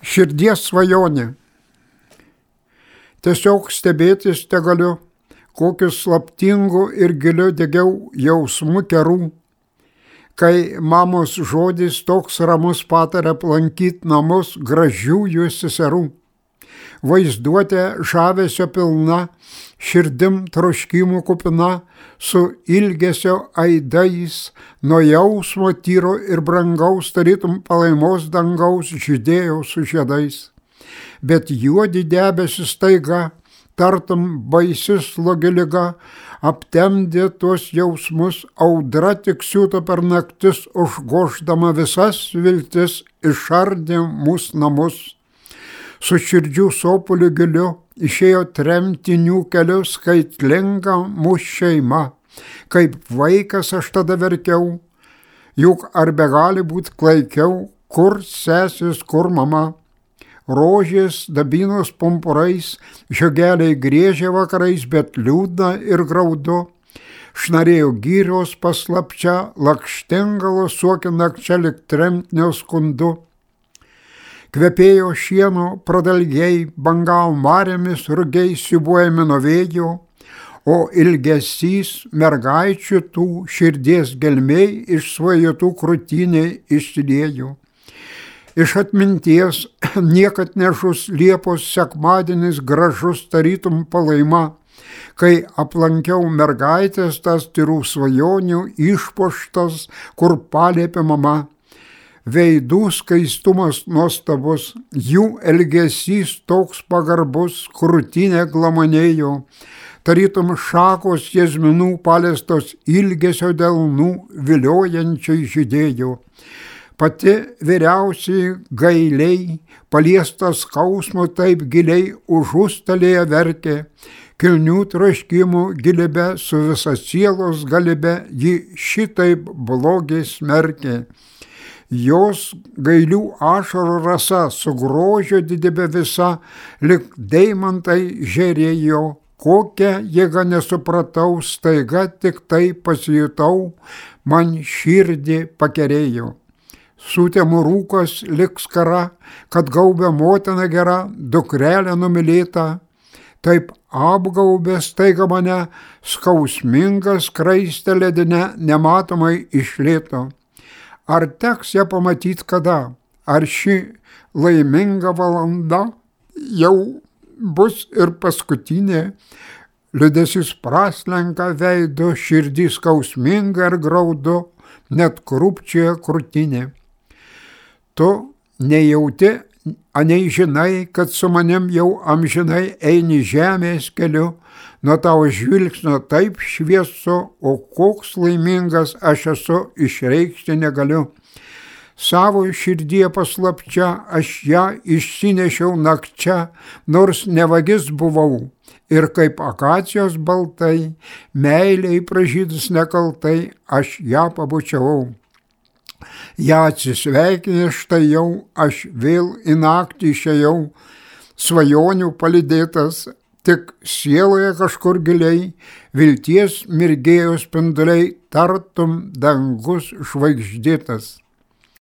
Širdies svajonė. Tiesiog stebėtis tegaliu, kokiu slaptingu ir giliu degiau jausmu kerų, kai mamos žodis toks ramus patarė aplankyti namus gražiųjų seserų. Vaizduotė žavesio pilna, širdim troškimų kupina, su ilgesio aidais, nuo jausmo tyro ir brangaus, tarytum palaimos dangaus žydėjo su žiedais. Bet juodi debesis staiga, tartum baisi slogi liga, aptemdė tuos jausmus, audra tik siūto per naktis, užgoždama visas viltis, išardė mūsų namus. Su širdžių sopuliu giliu išėjo tremtinių keliu skaitlinga mūsų šeima. Kaip vaikas aš tada verkiau, juk ar begali būti klaikiau, kur sesis, kur mama. Rožės dabinos pumpurais, žiogeliai griežė vakarais, bet liūdna ir graudu. Šnarėjo gyrios paslapčia, lakštingalos suokė nakčia lik tremtinio skundu. Kvepėjo šieno pradalgiai, bangavo marėmis, rugiai siūbuojami nuo vėjo, o ilgesys mergaičių tų širdies gelmiai iš svajotų krūtiniai išsiliejo. Iš atminties niekad nežus Liepos sekmadienis gražus tarytum palaima, kai aplankiau mergaitės tas tyrų svajonių išpuoštas, kur paliepė mama. Veidų skaistumas nuostabus, jų elgesys toks pagarbus, krūtinė glamonėjo, tarytum šakos jazminų paliestos ilgesio delnų viliojančiai žydėjo. Pati vyriausiai gailiai, paliestas skausmo taip giliai užustalėje verkė, kilnių troškimų gilybę su visa sielos galybe ji šitaip blogiai smerkė. Jos gailių ašarų rasa su grožio didybė visa, lik deimantai žėrėjo, kokią jėgą nesupratau, staiga tik tai pasijutau, man širdį pakerėjo. Sutemų rūkas lik skara, kad gaubė motina gera, dukrelė numylėta, taip apgaubė staiga mane, skausmingas skraistė ledinė, nematomai išlėto. Ar teks ją pamatyti kada? Ar ši laiminga valanda jau bus ir paskutinė? Liūdesys praslenka veidu, širdis skausminga ir graudu, net krūpčioja krūtinė. Tu nejauti, anei žinai, kad su manim jau amžinai eini žemės keliu, nuo tavo žvilgsnio taip šviesu, o koks laimingas aš esu, išreikšti negaliu. Savo širdie paslapčia aš ją išsinešiau nakčia, nors ne vagis buvau, ir kaip akacijos baltai, meiliai pražydus nekaltai, aš ją pabučiavau. Ja atsisveikinę štai jau, aš vėl į naktį išėjau, svajonių palydėtas, tik sieloje kažkur giliai, vilties mirgėjo spinduliai, tartum dangus žvaigždėtas.